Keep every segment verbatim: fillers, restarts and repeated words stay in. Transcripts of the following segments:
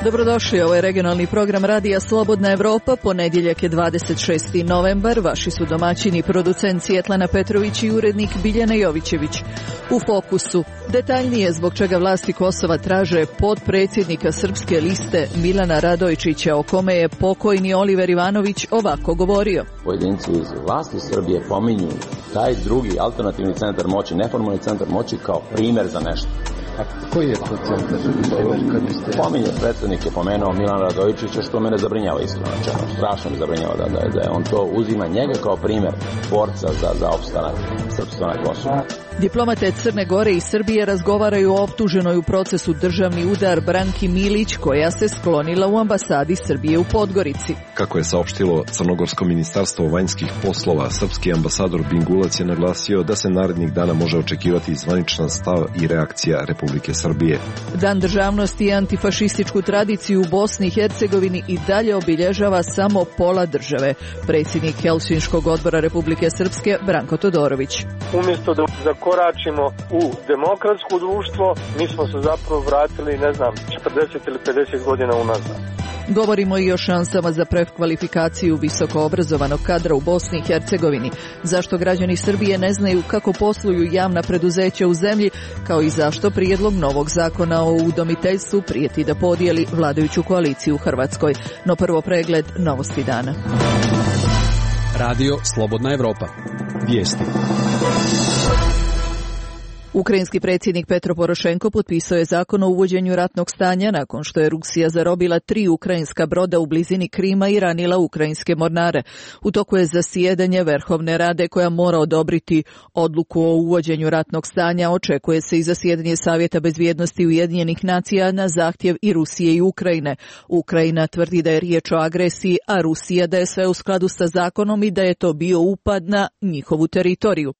Dobrodošli, ovo je regionalni program Radija Slobodna Evropa, ponedjeljak je dvadeset šesti novembar, vaši su domaćini, producent Svjetlana Petrović i urednik Biljana Jovićević. U fokusu, detaljnije zbog čega vlasti Kosova traže potpredsjednika Srpske liste Milana Radojčića, o kome je pokojni Oliver Ivanović ovako govorio. Pojedinci iz vlasti Srbije pominju taj drugi alternativni centar moći, neformalni centar moći kao primjer za nešto. A koji je to centar? Pominje predsjednik je pomenuo Milana Radojčića, što mene zabrinjava iskreno. Strašno mi zabrinjava da, da, da je on to uzima njega kao primjer borca za, za opstanak srpstva na Kosovu. Diplomate Crne Gore i Srbije razgovaraju o optuženoj u procesu državni udar Branki Milić, koja se sklonila u ambasadi Srbije u Podgorici. Kako je saopštilo Crnogorsko ministarstvo vanjskih poslova, srpski ambasador Bingulac je naglasio da se narednih dana može očekivati zvaničan stav i reakcija Republike Srbije. Dan državnosti i antifašističku tradiciju u Bosni i Hercegovini i dalje obilježava samo pola države. Predsjednik Helsinškog odbora Republike Srpske Branko Todorović. Umjesto da zakoračimo u demokratsko društvo, mi smo se zapravo vratili, ne znam, četrdeset ili pedeset godina unazad. Govorimo i o šansama za prekvalifikaciju visoko obrazovanog kadra u Bosni i Hercegovini. Zašto građani Srbije ne znaju kako posluju javna preduzeća u zemlji, kao i zašto prijedlog novog zakona o udomiteljstvu prijeti da podijeli vladajuću koaliciju u Hrvatskoj. No prvo pregled novosti dana. Radio Slobodna Evropa. Vijesti. Ukrajinski predsjednik Petro Porošenko potpisao je zakon o uvođenju ratnog stanja nakon što je Rusija zarobila tri ukrajinska broda u blizini Krima i ranila ukrajinske mornare. U toku je zasjedanje Verhovne rade koja mora odobriti odluku o uvođenju ratnog stanja. Očekuje se i zasjedanje Savjeta bezbjednosti Ujedinjenih nacija na zahtjev i Rusije i Ukrajine. Ukrajina tvrdi da je riječ o agresiji, a Rusija da je sve u skladu sa zakonom i da je to bio upad na njihovu teritoriju.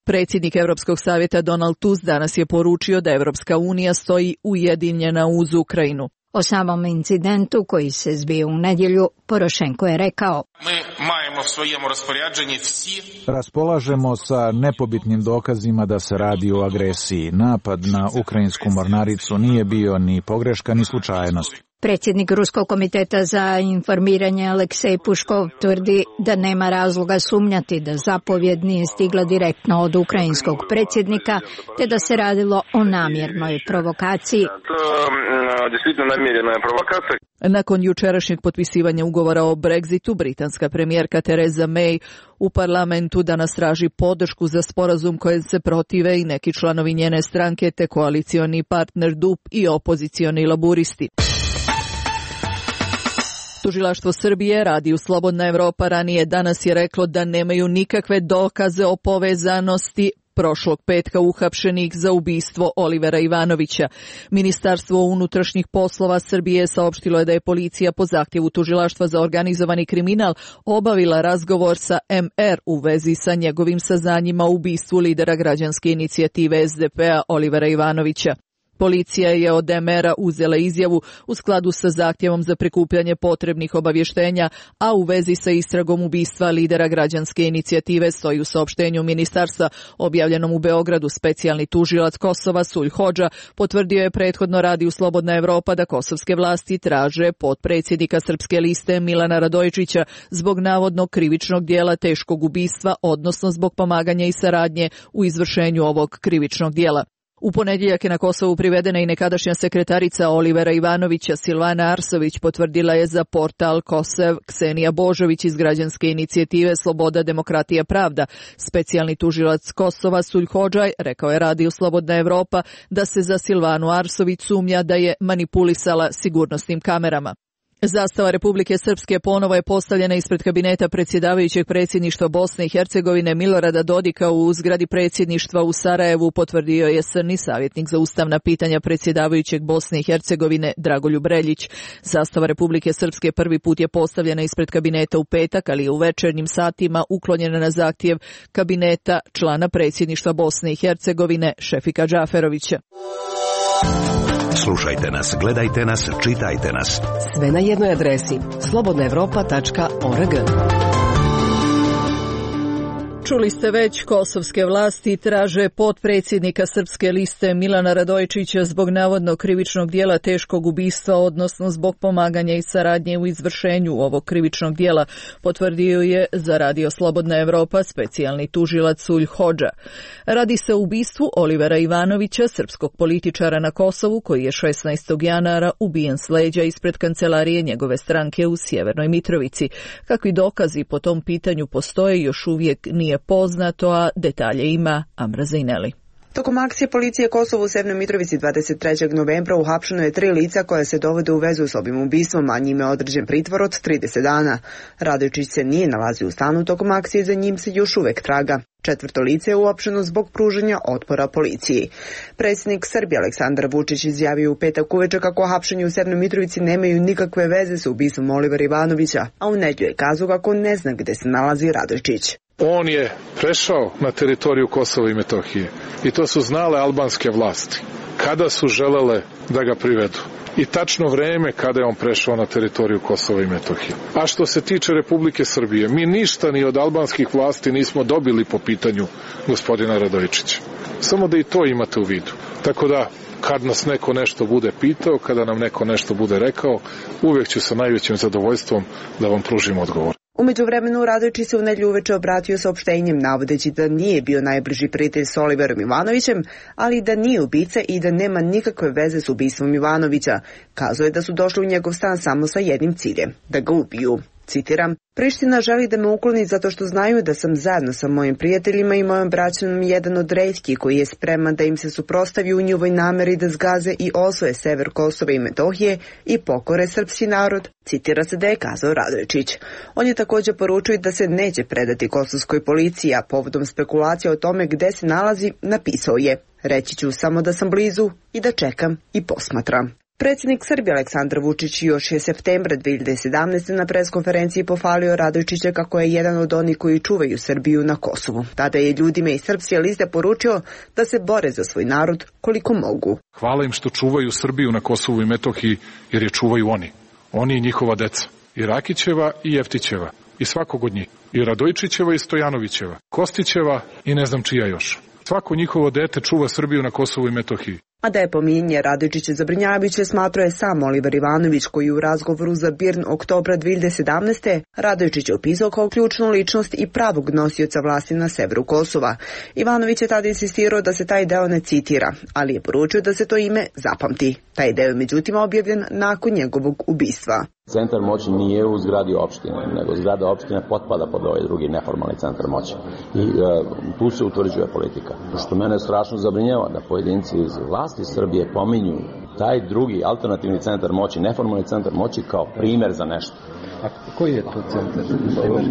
Predsjednik Europskog savjeta Donald Tusk danas je poručio da Europska unija stoji ujedinjena uz Ukrajinu. O samom incidentu koji se zbio u nedjelju, Porošenko je rekao: Raspolažemo sa nepobitnim dokazima da se radi o agresiji. Napad na ukrajinsku mornaricu nije bio ni pogreška ni slučajnost. Predsjednik Ruskog komiteta za informiranje Aleksej Puškov tvrdi da nema razloga sumnjati da zapovjed nije stigla direktno od ukrajinskog predsjednika, te da se radilo o namjernoj provokaciji. Nakon jučerašnjeg potpisivanja ugovora o Brexitu, britanska premijerka Theresa May u parlamentu danas traži podršku za sporazum kojem se protive i neki članovi njene stranke, te koalicioni partner D U P i opozicioni laburisti. Tužilaštvo Srbije, Radiju Slobodna Evropa, ranije danas je reklo da nemaju nikakve dokaze o povezanosti prošlog petka uhapšenih za ubistvo Olivera Ivanovića. Ministarstvo unutrašnjih poslova Srbije saopštilo je da je policija po zahtjevu Tužilaštva za organizovani kriminal obavila razgovor sa M R u vezi sa njegovim saznanjima o ubistvu lidera građanske inicijative S D P-a Olivera Ivanovića. Policija je od M R-a uzela izjavu u skladu sa zahtjevom za prikupljanje potrebnih obavještenja, a u vezi sa istragom ubistva lidera građanske inicijative stoji u saopštenju ministarstva objavljenom u Beogradu. Specijalni tužilac Kosova Sulj Hodža potvrdio je prethodno Radiju Slobodna Evropa da kosovske vlasti traže potpredsjednika Srpske liste Milana Radojčića zbog navodnog krivičnog dijela teškog ubistva, odnosno zbog pomaganja i saradnje u izvršenju ovog krivičnog dijela. U ponedjeljak je na Kosovu privedena i nekadašnja sekretarica Olivera Ivanovića Silvana Arsović, potvrdila je za portal Kosev Ksenija Božović iz građanske inicijative Sloboda, demokratija, pravda. Specijalni tužilac Kosova Sulj Hodžaj rekao je Radiju Slobodna Evropa da se za Silvanu Arsović sumnja da je manipulisala sigurnosnim kamerama. Zastava Republike Srpske ponovo je postavljena ispred kabineta predsjedavajućeg predsjedništva Bosne i Hercegovine Milorada Dodika u zgradi predsjedništva u Sarajevu, potvrdio je srni savjetnik za ustavna pitanja predsjedavajućeg Bosne i Hercegovine Dragoljub Reljić. Zastava Republike Srpske prvi put je postavljena ispred kabineta u petak, ali je u večernjim satima uklonjena na zahtjev kabineta člana predsjedništva Bosne i Hercegovine Šefika Džaferovića. Slušajte nas, gledajte nas, čitajte nas. Sve na jednoj adresi slobodna evropa tačka org. Čuli ste već, kosovske vlasti traže potpredsjednika Srpske liste Milana Radojičića zbog navodno krivičnog dijela teškog ubistva, odnosno zbog pomaganja i saradnje u izvršenju ovog krivičnog dijela, potvrdio je za Radio Slobodna Evropa specijalni tužilac Sulj Hodža. Radi se o ubistvu Olivera Ivanovića, srpskog političara na Kosovu, koji je šesnaestog januara ubijen s leđa ispred kancelarije njegove stranke u Sjevernoj Mitrovici. Kakvi dokazi po tom pitanju postoje još uvijek nije poznato, a detalje ima Amra Zajneli. Tokom akcije policije Kosovo u Severnoj Mitrovici dvadeset trećeg novembra uhapšeno je tri lica koja se dovode u vezu s ovim ubistvom, a njime je određen pritvor od trideset dana. Radojičić se nije nalazio u stanu tokom akcije, za njim se još uvek traga. Četvrto lice je uopšteno zbog pružanja otpora policiji. Predsjednik Srbije Aleksandar Vučić izjavio u petak uveče kako hapšenje u Severnoj Mitrovici nemaju nikakve veze sa ubistvom Olivera Ivanovića, a u nedjelju je kazao kako ne zna gde se nalazi Radojičić. On je prešao na teritoriju Kosova i Metohije i to su znale albanske vlasti kada su želele da ga privedu i tačno vreme kada je on prešao na teritoriju Kosova i Metohije. A što se tiče Republike Srbije, mi ništa ni od albanskih vlasti nismo dobili po pitanju gospodina Radojičića. Samo da i to imate u vidu. Tako da, kad nas neko nešto bude pitao, kada nam neko nešto bude rekao, uvijek ću sa najvećim zadovoljstvom da vam pružim odgovor. U međuvremenu Radojičić se u nedjelju uveče obratio saopštenjem navodeći da nije bio najbliži prijatelj s Oliverom Ivanovićem, ali da nije ubica i da nema nikakve veze s ubistvom Ivanovića. Kazao je da su došli u njegov stan samo sa jednim ciljem, da ga ubiju. Citiram, Priština želi da me ukloni zato što znaju da sam zajedno sa mojim prijateljima i mojom braćom jedan od retkih koji je spreman da im se suprotstavi u njihovoj nameri da zgaze i osvoje sever Kosova i Metohije i pokore srpski narod, citira se da je kazao Radojičić. On je također poručio da se neće predati kosovskoj policiji, a povodom spekulacija o tome gde se nalazi, napisao je: reći ću samo da sam blizu i da čekam i posmatram. Predsjednik Srbije Aleksandar Vučić još je septembra dve hiljade sedamnaeste. na preskonferenciji pohvalio Radojičića kako je jedan od onih koji čuvaju Srbiju na Kosovu. Tada je ljudima iz Srpske liste poručio da se bore za svoj narod koliko mogu. Hvala im što čuvaju Srbiju na Kosovu i Metohiji, jer je čuvaju oni. Oni i njihova deca. I Rakićeva i Jeftićeva. I svakog od njih. I Radojičićeva i Stojanovićeva. Kostićeva i ne znam čija još. Svako njihovo dete čuva Srbiju na Kosovu i Metohiji. A da je pominjanje Radojičića zabrinjavajuće, smatrao je sam Oliver Ivanović, koji u razgovoru za Birn oktobra dve hiljade sedamnaeste. Radojičić je opisao kao ključnu ličnost i pravog nosioca vlasti na severu Kosova. Ivanović je tada insistirao da se taj deo ne citira, ali je poručio da se to ime zapamti. Taj deo je međutim objavljen nakon njegovog ubistva. Centar moći nije u zgradi opštine, nego zgrada opštine potpada pod ovaj drugi neformalni centar moći. I e, tu se utvrđuje politika. Što mene strašno zabrinjava da pojedinci iz vlasti Srbije pominju taj drugi alternativni centar moći, neformalni centar moći kao primjer za nešto. A koji je to centar?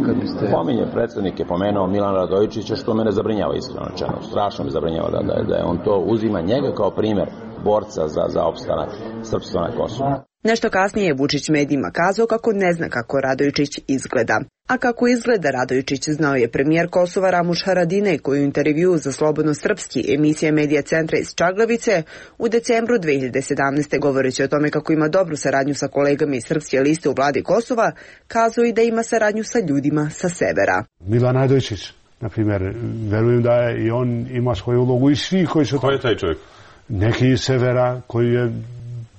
Kad biste... Pominje predsjednik je pomenuo Milana Radojičića, što mene zabrinjava iskreno rečeno. Strašno me zabrinjava da, da, da je on to uzima njega kao primjer borca za, za opstanak srpstva na Kosovu. Nešto kasnije je Vučić medijima kazao kako ne zna kako Radojičić izgleda. A kako izgleda Radojičić znao je premijer Kosova Ramuš Haradinaj, koji u intervjuu za Slobodno srpski emisija Medija centra iz Čaglavice u decembru dve hiljade sedamnaeste. govoreći o tome kako ima dobru saradnju sa kolegama iz Srpske liste u vladi Kosova, kazao i da ima saradnju sa ljudima sa severa. Milan Radojičić, na primjer, verujem da je i on ima svoju ulogu i svi koji su... Ko je taj čovjek? Neki iz severa koji je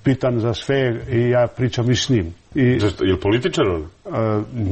pitan za sve i ja pričam i s njim. I, je li političar on?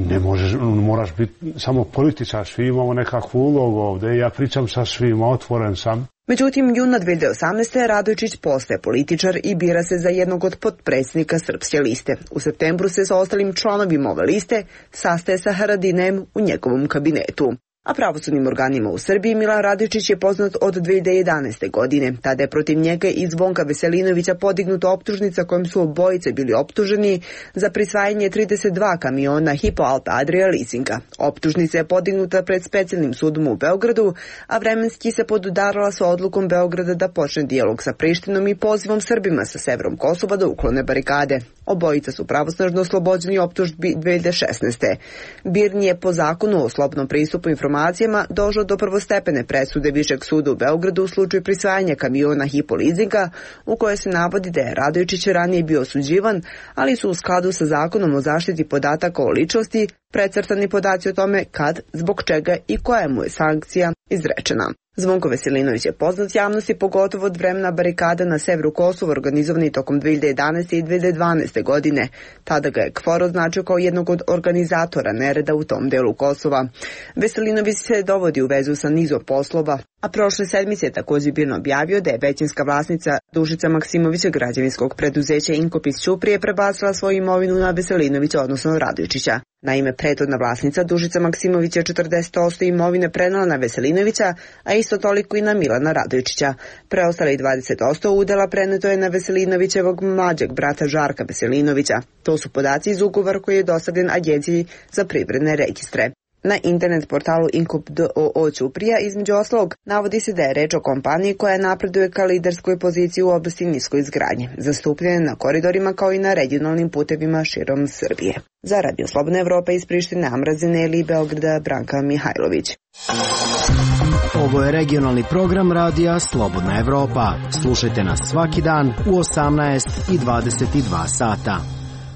Ne možeš, moraš biti samo političar, svi imamo nekakvu ulogu ovdje, ja pričam sa svima, otvoren sam. Međutim, juna dve hiljade osamnaeste. Radojičić postaje političar i bira se za jednog od potpredsjednika Srpske liste. U septembru se sa ostalim članovima ove liste sastaje sa Haradinajem u njegovom kabinetu. A pravosudnim organima u Srbiji Milan Radojičić je poznat od dve hiljade jedanaeste. godine. Tada je protiv njega i Zvonka Veselinovića podignuta optužnica kojom su obojice bili optuženi za prisvajanje trideset dva kamiona Hypo Alpe Adria leasinga. Optužnica je podignuta pred specijalnim sudom u Beogradu, a vremenski se podudarala sa odlukom Beograda da počne dijalog sa Prištinom i pozivom Srbima sa severom Kosova da uklone barikade. Obojica su pravosnažno oslobođeni optužbi dve hiljade šesnaeste. Birn je po zakonu o slobodnom pristupu informacijama informacijama došlo do prvostepene presude Višeg suda u Beogradu u slučaju prisvajanja kamiona Hypo Leasinga, u kojoj se navodi da je Radojičić ranije bio osuđivan, ali su u skladu sa zakonom o zaštiti podataka o ličnosti precrtani podaci o tome kad, zbog čega i koja mu je sankcija izrečena. Zvonko Veselinović je poznat javnosti pogotovo od vremena barikada na severu Kosova organizovani tokom dve hiljade jedanaeste i dve hiljade dvanaeste godine. Tada ga je K F O R označio kao jednog od organizatora nereda u tom delu Kosova. Veselinović se dovodi u vezu sa nizom poslova, a prošle sedmice je također bilo objavio da je većinska vlasnica Dušica Maksimovića građevinskog preduzeća Inkopis Ćuprije prebacila svoju imovinu na Veselinovića, odnosno Radojičića. Naime, prethodna vlasnica Dušica Maksimović je četrdeset posto imovine prenala na Veselinovića, a isto toliko i na Milana Radojičića. Preostalih dvadeset posto udela preneto je na Veselinovićevog mlađeg brata Žarka Veselinovića. To su podaci iz ugovora koji je dostavljen Agenciji za privredne registre. Na internet portalu Inkop D O O Ćuprija između ostalog navodi se da je reč o kompaniji koja napreduje ka liderskoj poziciji u oblasti niskoj izgradnje, zastupljene na koridorima kao i na regionalnim putevima širom Srbije. Za Radio Slobodna Evropa iz Prištine, Amrazine ili Beograda, Branka Mihajlović. Ovo je regionalni program Radija Slobodna Evropa. Slušajte nas svaki dan u osamnaest i dvadeset dva sata.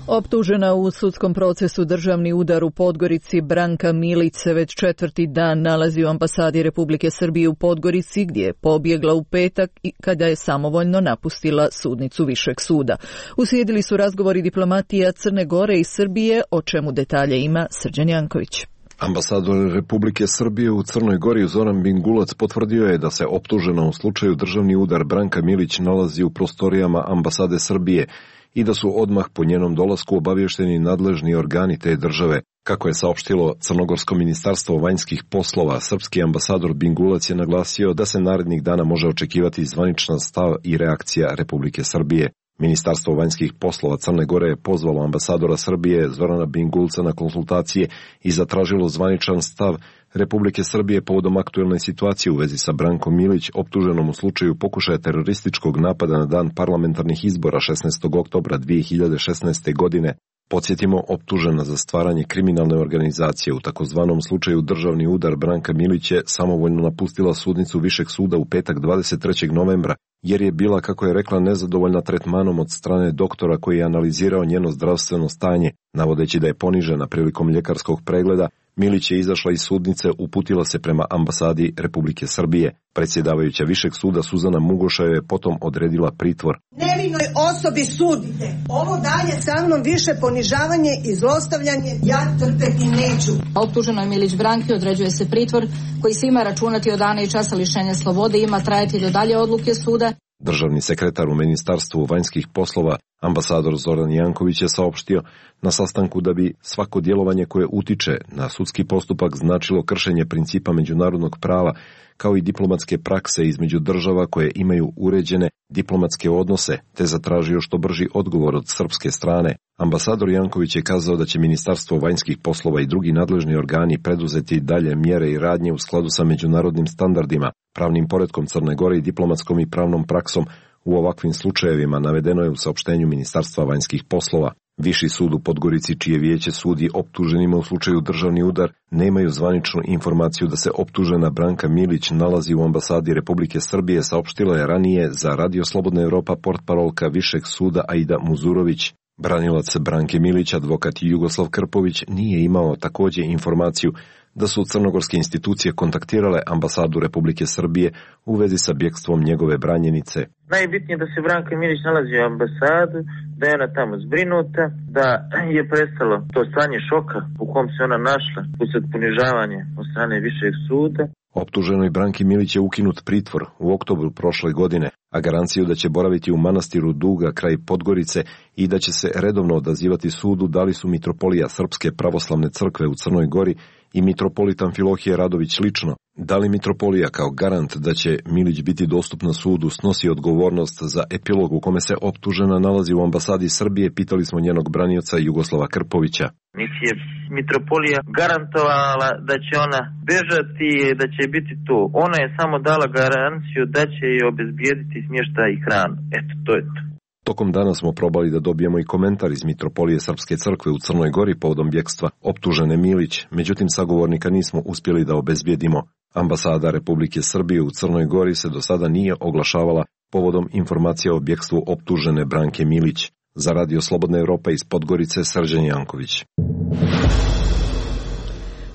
Optužena u sudskom procesu državni udar u Podgorici, Branka Milić se već četvrti dan nalazi u ambasadi Republike Srbije u Podgorici, gdje je pobjegla u petak i kada je samovoljno napustila sudnicu Višeg suda. Uslijedili su razgovori diplomatija Crne Gore i Srbije, o čemu detalje ima Srđan Janković. Ambasador Republike Srbije u Crnoj Gori Zoran Bingulac potvrdio je da se optužena u slučaju državni udar Branka Milić nalazi u prostorijama ambasade Srbije i da su odmah po njenom dolasku obavješteni nadležni organi te države. Kako je saopštilo Crnogorsko ministarstvo vanjskih poslova, srpski ambasador Bingulac je naglasio da se narednih dana može očekivati zvaničan stav i reakcija Republike Srbije. Ministarstvo vanjskih poslova Crne Gore je pozvalo ambasadora Srbije Zorana Bingulca na konsultacije i zatražilo zvaničan stav Republike Srbije povodom aktuelne situacije u vezi sa Brankom Milić, optuženom u slučaju pokušaja terorističkog napada na dan parlamentarnih izbora šesnaestog oktobra dvije hiljade šesnaeste. godine. Podsjetimo, optužena za stvaranje kriminalne organizacije u takozvanom slučaju državni udar Branka Milić je samovoljno napustila sudnicu Višeg suda u petak dvadeset trećeg novembra, jer je bila, kako je rekla, nezadovoljna tretmanom od strane doktora koji je analizirao njeno zdravstveno stanje, navodeći da je ponižena prilikom ljekarskog pregleda. Milić je izašla iz sudnice, uputila se prema ambasadi Republike Srbije. Predsjedavajuća Višeg suda Suzana Mugoša je potom odredila pritvor. Nevinoj osobi sudite. Ovo dalje sa mnom više ponižavanje i zlostavljanje ja trpeti neću. Optuženoj Milić Branki određuje se pritvor koji se ima računati od dana i časa lišenja slobode i ima trajati do dalje odluke suda. Državni sekretar u Ministarstvu vanjskih poslova, ambasador Zoran Janković, je saopštio na sastanku da bi svako djelovanje koje utiče na sudski postupak značilo kršenje principa međunarodnog prava, kao i diplomatske prakse između država koje imaju uređene diplomatske odnose, te zatražio što brži odgovor od srpske strane. Ambasador Janković je kazao da će Ministarstvo vanjskih poslova i drugi nadležni organi preduzeti dalje mjere i radnje u skladu sa međunarodnim standardima, pravnim poretkom Crne Gore i diplomatskom i pravnom praksom u ovakvim slučajevima, navedeno je u saopštenju Ministarstva vanjskih poslova. Viši sud u Podgorici, čije vijeće sudi optuženima u slučaju državni udar, nemaju zvaničnu informaciju da se optužena Branka Milić nalazi u ambasadi Republike Srbije, saopštila je ranije za Radio Slobodna Evropa portparolka Višeg suda Aida Muzurović. Branilac Branke Milić, advokat Jugoslav Krpović, nije imao također informaciju da su crnogorske institucije kontaktirale ambasadu Republike Srbije u vezi sa bjegstvom njegove branjenice. Najbitnije je da se Branka Milić nalazi u ambasadu, da je ona tamo zbrinuta, da je prestalo to stanje šoka u kom se ona našla usred ponižavanja od strane Višeg suda. Optuženoj Branki Milić je ukinut pritvor u oktobru prošle godine, a garanciju da će boraviti u manastiru Duga kraj Podgorice i da će se redovno odazivati sudu dali su mitropolija Srpske pravoslavne crkve u Crnoj Gori i mitropolit Amfilohije Radović lično. Da li mitropolija kao garant da će Milić biti dostupna sudu snosi odgovornost za epilog u kome se optužena nalazi u ambasadi Srbije, pitali smo njenog branioca Jugoslava Krpovića. Niti je mitropolija garantovala da će ona bežati i da će biti tu. Ona je samo dala garanciju da će joj obezbijediti smještaj i hranu. Eto, to je to. Tokom dana smo probali da dobijemo i komentar iz Mitropolije Srpske crkve u Crnoj Gori povodom bjekstva optužene Milić, međutim sagovornika nismo uspjeli da obezbijedimo. Ambasada Republike Srbije u Crnoj Gori se do sada nije oglašavala povodom informacija o bjekstvu optužene Branke Milić. Za Radio Slobodna Evropa iz Podgorice, Srđan Janković.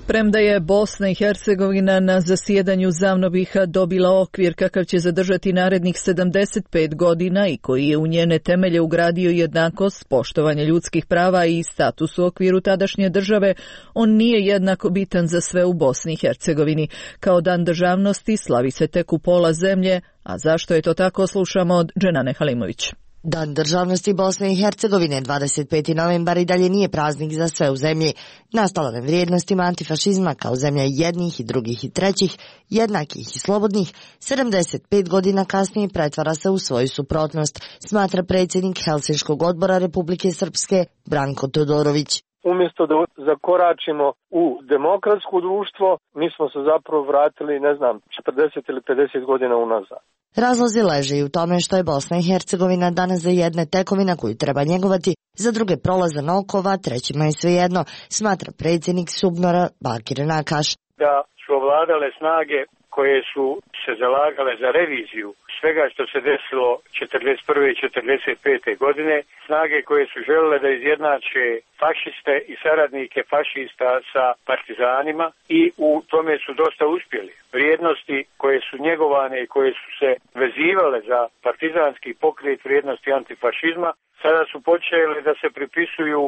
Premda je Bosna i Hercegovina na zasjedanju Zavnobiha dobila okvir kakav će zadržati narednih sedamdeset pet godina i koji je u njene temelje ugradio jednakost, poštovanje ljudskih prava i status u okviru tadašnje države, on nije jednako bitan za sve u Bosni i Hercegovini. Kao dan državnosti slavi se tek u pola zemlje, a zašto je to tako, slušamo od Dženane Halimović. Dan državnosti Bosne i Hercegovine, dvadeset peti novembar, i dalje nije praznik za sve u zemlji. Nastala na vrijednostima antifašizma kao zemlja jednih i drugih i trećih, jednakih i slobodnih, sedamdeset pet godina kasnije pretvara se u svoju suprotnost, smatra predsjednik Helsinškog odbora Republike Srpske Branko Todorović. Umjesto da zakoračimo u demokratsko društvo, mi smo se zapravo vratili, ne znam, četrdeset ili pedeset godina unazad. Razlozi leže i u tome što je Bosna i Hercegovina danas za jedne tekovina koju treba njegovati, za druge prolazan okova, trećima je svejedno, smatra predsjednik Subnora Bakir Nakaš. Da su ovladale snage koje su se zalagale za reviziju svega što se desilo četrdeset prve i četrdeset pete godine, snage koje su želele da izjednače fašiste i saradnike fašista sa partizanima i u tome su dosta uspjeli. Vrijednosti koje su njegovane i koje su se vezivale za partizanski pokret, vrijednosti antifašizma, sada su počele da se pripisuju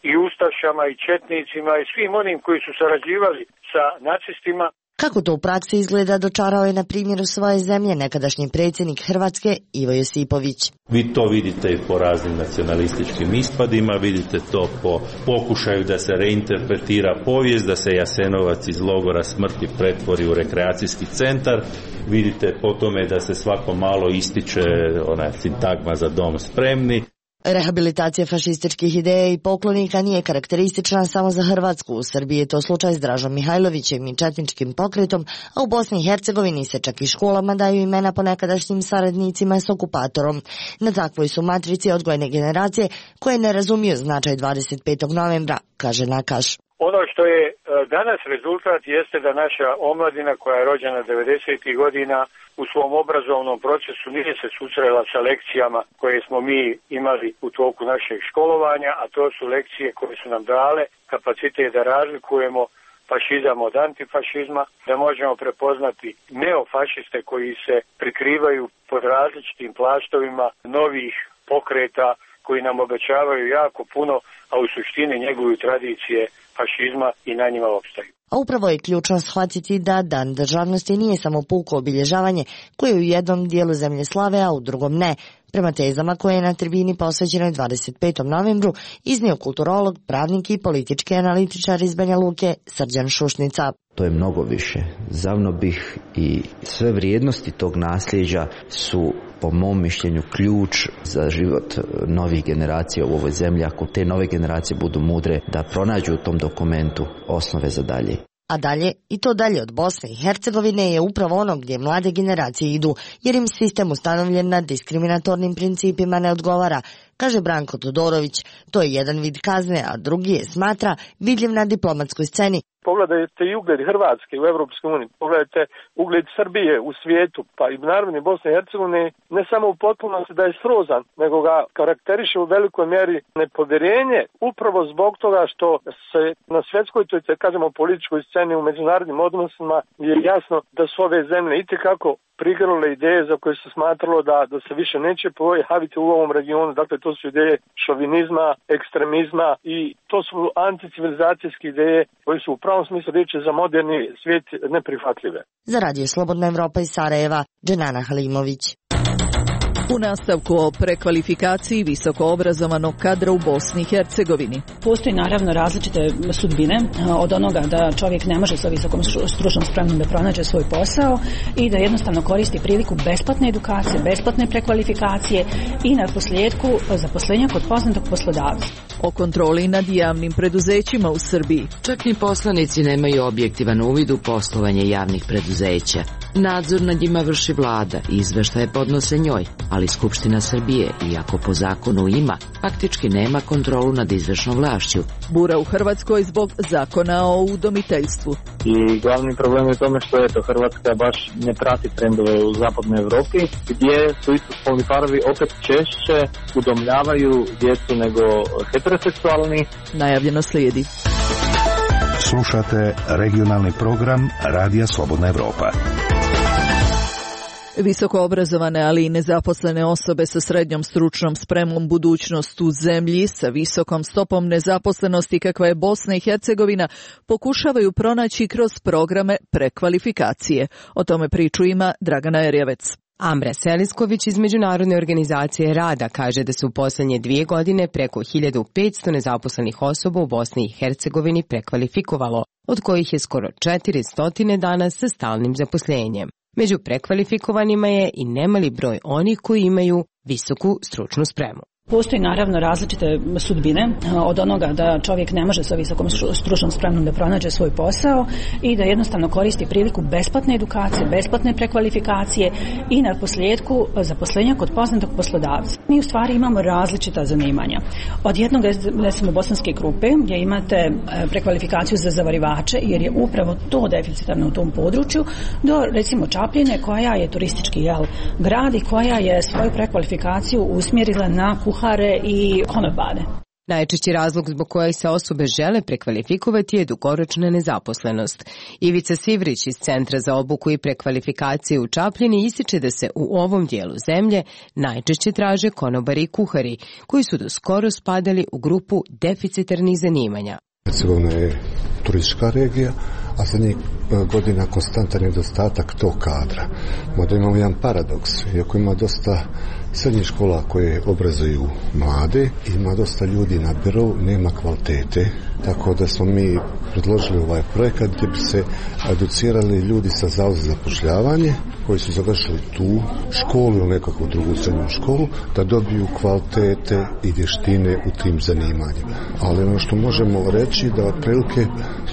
i ustašama i četnicima i svim onim koji su sarađivali sa nacistima. Kako to u praksi izgleda, dočarao je na primjeru svoje zemlje nekadašnji predsjednik Hrvatske Ivo Josipović. Vi to vidite i po raznim nacionalističkim ispadima, vidite to po pokušaju da se reinterpretira povijest, da se Jasenovac iz logora smrti pretvori u rekreacijski centar, vidite po tome da se svako malo ističe ona sintagma za dom spremni. Rehabilitacija fašističkih ideja i poklonika nije karakteristična samo za Hrvatsku. U Srbiji je to slučaj s Dražom Mihajlovićem i četničkim pokretom, a u Bosni i Hercegovini se čak i školama daju imena po nekadašnjim saradnicima s okupatorom. Na takvoj su matrici odgojne generacije koje ne razumiju značaj dvadeset petog novembra, kaže Nakaš. Ono što je danas rezultat jeste da naša omladina koja je rođena devedesetih godina u svom obrazovnom procesu nije se susrela sa lekcijama koje smo mi imali u toku našeg školovanja, a to su lekcije koje su nam dale kapacitet da razlikujemo fašizam od antifašizma, da možemo prepoznati neofašiste koji se prikrivaju pod različitim plaštovima novih pokreta koji nam obećavaju jako puno, a u suštini njeguju tradicije fašizma i na njima opstaju. A upravo je ključno shvatiti da Dan državnosti nije samo puko obilježavanje koje u jednom dijelu zemlje slave, a u drugom ne. Prema tezama koje je na tribini posvećenoj dvadeset petom novembru iznio kulturolog, pravnik i politički analitičar iz Banja Luke Srđan Šušnica. To je mnogo više. Zavnobih i sve vrijednosti tog nasljeđa su po mom mišljenju ključ za život novih generacija u ovoj zemlji, ako te nove generacije budu mudre da pronađu u tom dokumentu osnove za dalje. A dalje, i to dalje od Bosne i Hercegovine, je upravo ono gdje mlade generacije idu, jer im sistem ustanovljen na diskriminatornim principima ne odgovara, kaže Branko Todorović. To je jedan vid kazne, a drugi je, smatra, vidljiv na diplomatskoj sceni. Pogledajte i ugled Hrvatske u Europskoj uniji, pogledajte ugled Srbije u svijetu, pa i naravno Bosne i Hercegovine, ne samo u potpunosti da je srozan, nego ga karakteriše u velikoj mjeri nepovjerenje, upravo zbog toga što se na svjetskoj, to je, kažemo, političkoj sceni u međunarodnim odnosima je jasno da su ove zemlje itekako prigrle ideje za koje se smatralo da, da se više neće pojaviti u ovom regionu. Dakle, to su ideje šovinizma, ekstremizma i to su anticivilizacijske ideje koje su u pravom smislu riječi za moderni svijet neprihvatljive. Za Radio Slobodna Evropa iz Sarajeva, Dženana Halimović. U nastavku o prekvalifikaciji visoko obrazovanog kadra u Bosni i Hercegovini. Postoji naravno različite sudbine od onoga da čovjek ne može sa visokom stručnom spremom da pronađe svoj posao i da jednostavno koristi priliku besplatne edukacije, besplatne prekvalifikacije i na posljedku zaposlenja kod poznatog poslodavca. O kontroli nad javnim preduzećima u Srbiji. Čak ni poslanici nemaju objektivan uvid u poslovanje javnih preduzeća. Nadzor nad njima vrši vlada i izveštaje podnose njoj, ali Skupština Srbije, iako po zakonu ima, faktički nema kontrolu nad izvršnom vlašću. Bura u Hrvatskoj zbog zakona o udomiteljstvu. I glavni problem je u tome što eto, Hrvatska baš ne prati trendove u zapadnoj Evropi, gdje su istospolni parovi opet češće udomljavaju djecu nego heteroseksualni. Najavljeno slijedi. Slušate regionalni program Radija Slobodna Evropa. Visoko obrazovane, ali i nezaposlene osobe sa srednjom stručnom spremom budućnost u zemlji sa visokom stopom nezaposlenosti kakva je Bosna i Hercegovina pokušavaju pronaći kroz programe prekvalifikacije. O tome priču ima Dragana Erjevec. Ambra Selisković iz Međunarodne organizacije rada kaže da su u poslednje dvije godine preko hiljadu petsto nezaposlenih osoba u Bosni i Hercegovini prekvalifikovalo, od kojih je skoro četiristo danas sa stalnim zaposlenjem. Među prekvalifikovanima je i nemali broj onih koji imaju visoku stručnu spremu. Postoji naravno različite sudbine od onoga da čovjek ne može sa visokom stručnom spremom da pronađe svoj posao i da jednostavno koristi priliku besplatne edukacije, besplatne prekvalifikacije i na posljedku zaposlenja kod poznatog poslodavca. Mi u stvari imamo različita zanimanja. Od jednog, recimo, bosanske grupe gdje imate prekvalifikaciju za zavarivače jer je upravo to deficitarno u tom području, do recimo Čapljine koja je turistički jel, grad i koja je svoju prekvalifikaciju usmjerila na kuhare i konobare. Najčešći razlog zbog kojeg se osobe žele prekvalifikovati je dugoročna nezaposlenost. Ivica Sivrić iz Centra za obuku i prekvalifikacije u Čapljini ističe da se u ovom dijelu zemlje najčešće traže konobari i kuhari, koji su do skoro spadali u grupu deficitarnih zanimanja. Hercegovina je turistička regija, a zadnjih godina konstantan nedostatak tog kadra. Mada imamo jedan paradoks, iako ima dosta srednjih škola koje obrazuju mlade, ima dosta ljudi na birou, nema kvalitete, tako da smo mi predložili ovaj projekat gdje bi se educirali ljudi sa Zavoda za zapošljavanje koji su završili tu školu ili nekakvu drugu srednju školu, da dobiju kvalitete i vještine u tim zanimanjima. Ali ono što možemo reći da otprilike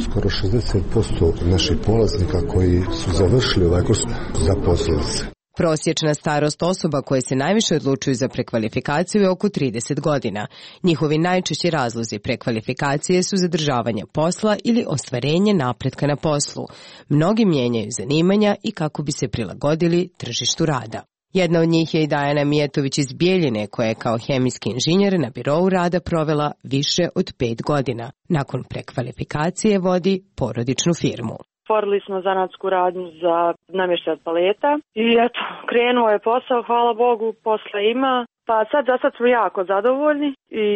skoro šezdeset posto naših polaznika koji su završili ovaj kurs zaposlili se. Prosječna starost osoba koje se najviše odlučuju za prekvalifikaciju je oko trideset godina. Njihovi najčešći razlozi prekvalifikacije su zadržavanje posla ili ostvarenje napretka na poslu. Mnogi mijenjaju zanimanja i kako bi se prilagodili tržištu rada. Jedna od njih je i Dajana Mijetović iz Bijeljine, koja je kao hemijski inženjer na birou rada provela više od pet godina. Nakon prekvalifikacije vodi porodičnu firmu. Otvorili smo zanatsku radnju za namještaj od paleta i eto, krenuo je posao, hvala Bogu, posla ima. Pa sad za sad smo jako zadovoljni i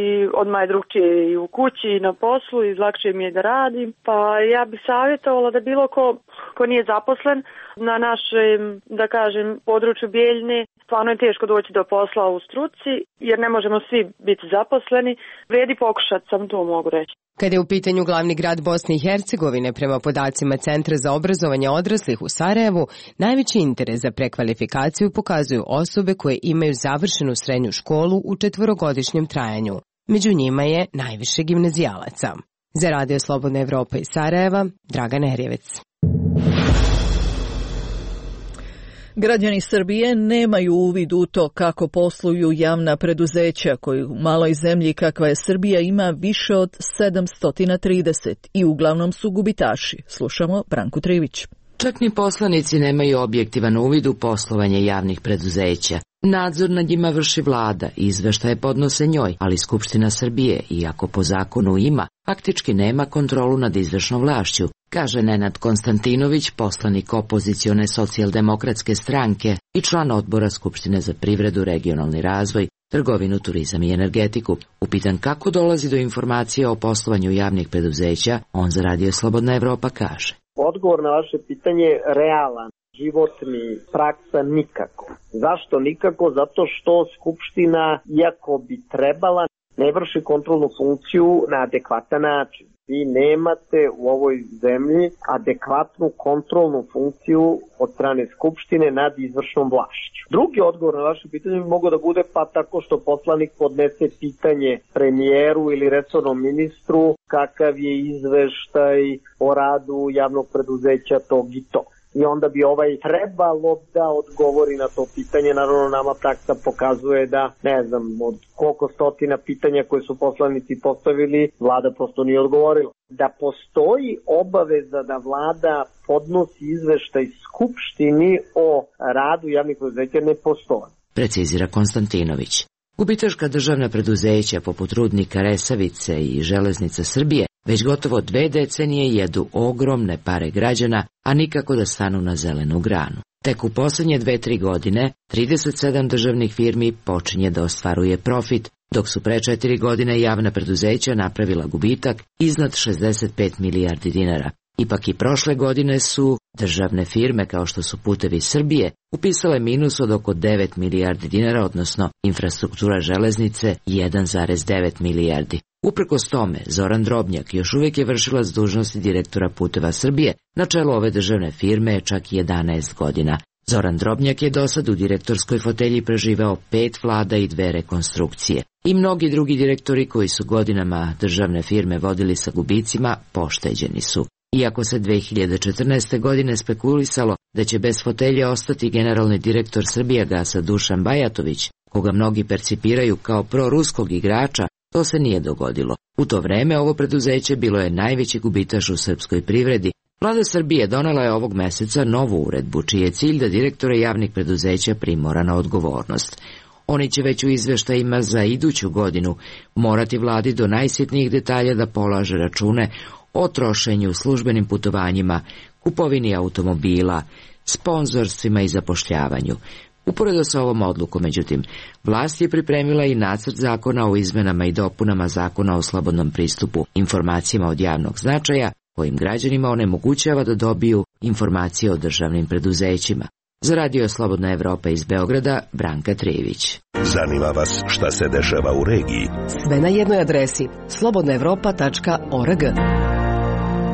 odmah je drugčije i u kući i na poslu i lakše mi je da radim. Pa ja bih savjetovala da bilo ko, ko nije zaposlen na našem, da kažem, području Bijeljine, stvarno je teško doći do posla u struci jer ne možemo svi biti zaposleni. Vrijedi pokušati, sam to mogu reći. Kada je u pitanju glavni grad Bosne i Hercegovine, prema podacima Centra za obrazovanje odraslih u Sarajevu, najveći interes za prekvalifikaciju pokazuju osobe koje imaju završenu srednju školu u četvorogodišnjem trajanju. Među njima je najviše gimnazijalaca. Za Radio Slobodna Evropa iz Sarajeva, Dragana Erjevec. Građani Srbije nemaju uvid u to kako posluju javna preduzeća koji u maloj zemlji kakva je Srbija ima više od sedamsto trideset i uglavnom su gubitaši. Slušamo Branku Trivić. Čak ni poslanici nemaju objektivan uvid u poslovanje javnih preduzeća. Nadzor nad njima vrši vlada i izveštaje podnose njoj, ali Skupština Srbije, iako po zakonu ima, faktički nema kontrolu nad izvršnom vlašću, kaže Nenad Konstantinović, poslanik opozicione socijaldemokratske stranke i član odbora Skupštine za privredu, regionalni razvoj, trgovinu, turizam i energetiku. Upitan kako dolazi do informacije o poslovanju javnih preduzeća, on za Radio Slobodna Evropa kaže. Odgovor na vaše pitanje je realan. Životni, praksa nikako. Zašto nikako? Zato što Skupština, iako bi trebala, ne vrši kontrolnu funkciju na adekvatan način. Vi nemate u ovoj zemlji adekvatnu kontrolnu funkciju od strane Skupštine nad izvršnom vlašću. Drugi odgovor na vaše pitanje bi mogao da bude pa tako što poslanik podnese pitanje premijeru ili resornom ministru kakav je izveštaj o radu javnog preduzeća tog i to. i onda bi ovaj trebalo da odgovori na to pitanje. Naravno, nama praksa pokazuje da, ne znam, od koliko stotina pitanja koje su poslanici postavili, vlada prosto nije odgovorila. Da postoji obaveza da vlada podnosi izveštaj Skupštini o radu javnih preduzeća, ne postoji. Precizira Konstantinović. Gubitaška državna preduzeća poput Rudnika Resavice i Železnica Srbije već gotovo dve decenije jedu ogromne pare građana, a nikako da stanu na zelenu granu. Tek u posljednje dve, tri godine trideset sedam državnih firmi počinje da ostvaruje profit, dok su pre četiri godine javna preduzeća napravila gubitak iznad šezdeset pet milijardi dinara. Ipak i prošle godine su državne firme kao što su Putevi Srbije upisale minus od oko devet milijardi dinara, odnosno infrastruktura železnice jedan zarez devet milijardi. Uprkos tome, Zoran Drobnjak još uvijek je vršilac dužnosti direktora Puteva Srbije, na čelu ove državne firme je čak jedanaest godina. Zoran Drobnjak je dosad u direktorskoj fotelji preživeo pet vlada i dve rekonstrukcije. I mnogi drugi direktori koji su godinama državne firme vodili sa gubicima, pošteđeni su. Iako se dve hiljade četrnaeste. godine spekulisalo da će bez fotelje ostati generalni direktor Srbijagasa Dušan Bajatović, koga mnogi percipiraju kao proruskog igrača, to se nije dogodilo. U to vreme ovo preduzeće bilo je najveći gubitaš u srpskoj privredi. Vlada Srbije donela je ovog meseca novu uredbu, čiji je cilj da direktore javnih preduzeća primora na odgovornost. Oni će već u izveštajima za iduću godinu morati vladi do najsitnijih detalja da polaže račune o trošenju, službenim putovanjima, kupovini automobila, sponzorstvima i zapošljavanju. Uporedo sa ovom odlukom, međutim, vlast je pripremila i nacrt zakona o izmenama i dopunama zakona o slobodnom pristupu informacijama od javnog značaja, kojim građanima onemogućava da dobiju informacije o državnim preduzećima. Za Radio Slobodna Evropa iz Beograda, Branka Trijević. Zanima vas šta se dešava u regiji? Sve na jednoj adresi slobodna evropa tačka org.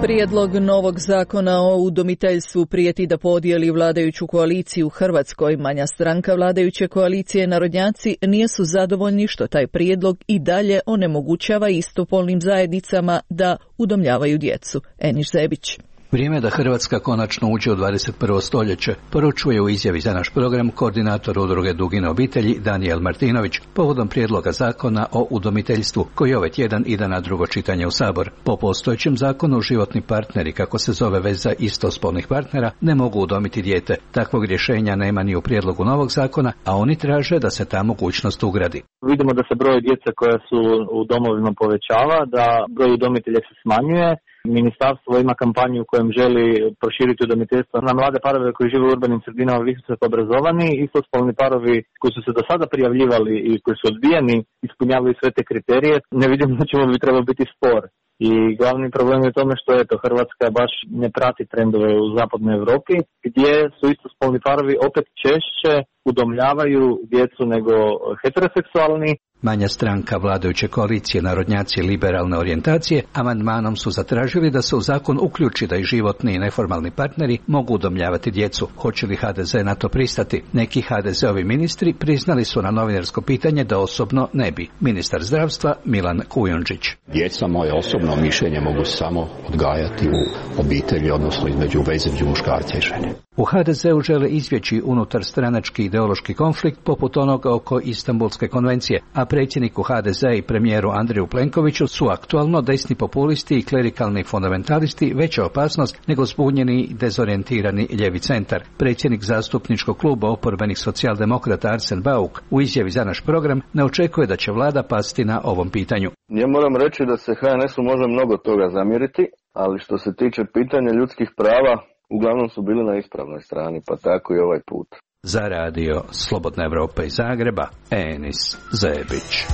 Prijedlog novog zakona o udomiteljstvu prijeti da podijeli vladajuću koaliciju u Hrvatskoj. Manja stranka vladajuće koalicije Narodnjaci nisu zadovoljni što taj prijedlog i dalje onemogućava istopolnim zajednicama da udomljavaju djecu. Eniš Zebić. Vrijeme da Hrvatska konačno uđe u dvadeset prvo stoljeće, poručuje u izjavi za naš program koordinator udruge Dugine obitelji Danijel Martinović povodom prijedloga zakona o udomiteljstvu koji ovaj tjedan ide na drugo čitanje u Sabor. Po postojećem zakonu životni partneri, kako se zove veza istospolnih partnera, ne mogu udomiti dijete. Takvog rješenja nema ni u prijedlogu novog zakona, a oni traže da se ta mogućnost ugradi. Vidimo da se broj djece koja su u domovima povećava, da broj udomitelja se smanjuje. Ministarstvo ima kampanju u kojem želi proširiti udomiteljstvo na mlade parove koji žive u urbanim sredinama, visoko obrazovani, istospolni parovi koji su se do sada prijavljivali i koji su odbijeni, ispunjavaju sve te kriterije. Ne vidim da ćemo bi trebao biti spor. I glavni problem je u tome što eto, Hrvatska baš ne prati trendove u zapadnoj Europi, gdje su istospolni parovi opet češće udomljavaju djecu nego heteroseksualni. Manja stranka vladajuće koalicije Narodnjaci liberalne orijentacije amandmanom su zatražili da se u zakon uključi da i životni i neformalni partneri mogu udomljavati djecu. Hoće li ha de ze na to pristati? Neki ha de zeovi ministri priznali su na novinarsko pitanje da osobno ne bi. Ministar zdravstva Milan Kujundžić. Djeca, moje osobno mišljenje, mogu samo odgajati u obitelji, odnosno između veze između muškarca i žene. U ha de zeu žele izbjeći unutar stranački ideološki konflikt poput onoga oko Istanbulske konvencije, a predsjedniku ha de ze i premijeru Andreju Plenkoviću su aktualno desni populisti i klerikalni fundamentalisti veća opasnost nego zbunjeni i dezorijentirani ljevi centar. Predsjednik zastupničkog kluba oporbenih socijaldemokrata Arsen Bauk u izjavi za naš program ne očekuje da će vlada pasti na ovom pitanju. Ja moram reći da se ha en esu može mnogo toga zamjeriti, ali što se tiče pitanja ljudskih prava, uglavnom su bili na ispravnoj strani, pa tako i ovaj put. Za Radio Slobodna Evropa iz Zagreba, Enis Zebić.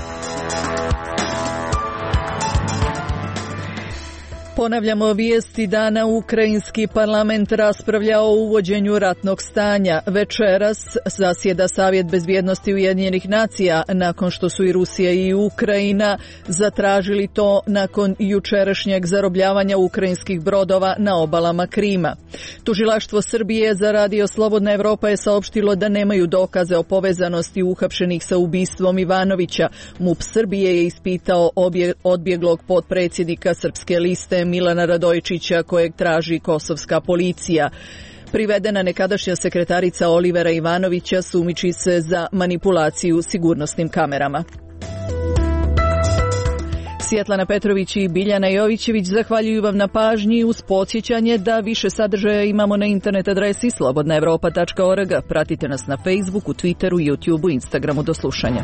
Ponavljamo vijesti dana. Ukrajinski parlament raspravlja o uvođenju ratnog stanja. Večeras zasjeda Savjet bezbjednosti Ujedinjenih nacija nakon što su i Rusija i Ukrajina zatražili to nakon jučerašnjeg zarobljavanja ukrajinskih brodova na obalama Krima. Tužilaštvo Srbije za Radio Slobodna Evropa je saopštilo da nemaju dokaze o povezanosti uhapšenih sa ubistvom Ivanovića. MUP Srbije je ispitao obje, odbjeglog potpredsjednika Srpske liste Milana Radojičića, kojeg traži kosovska policija. Privedena nekadašnja sekretarica Olivera Ivanovića sumnjiči se za manipulaciju sigurnosnim kamerama. Svjetlana Petrović i Biljana Jovićević zahvaljuju vam na pažnji uz podsjećanje da više sadržaja imamo na internet adresi slobodna evropa tačka org. Pratite nas na Facebooku, Twitteru, YouTubeu, Instagramu. Do slušanja.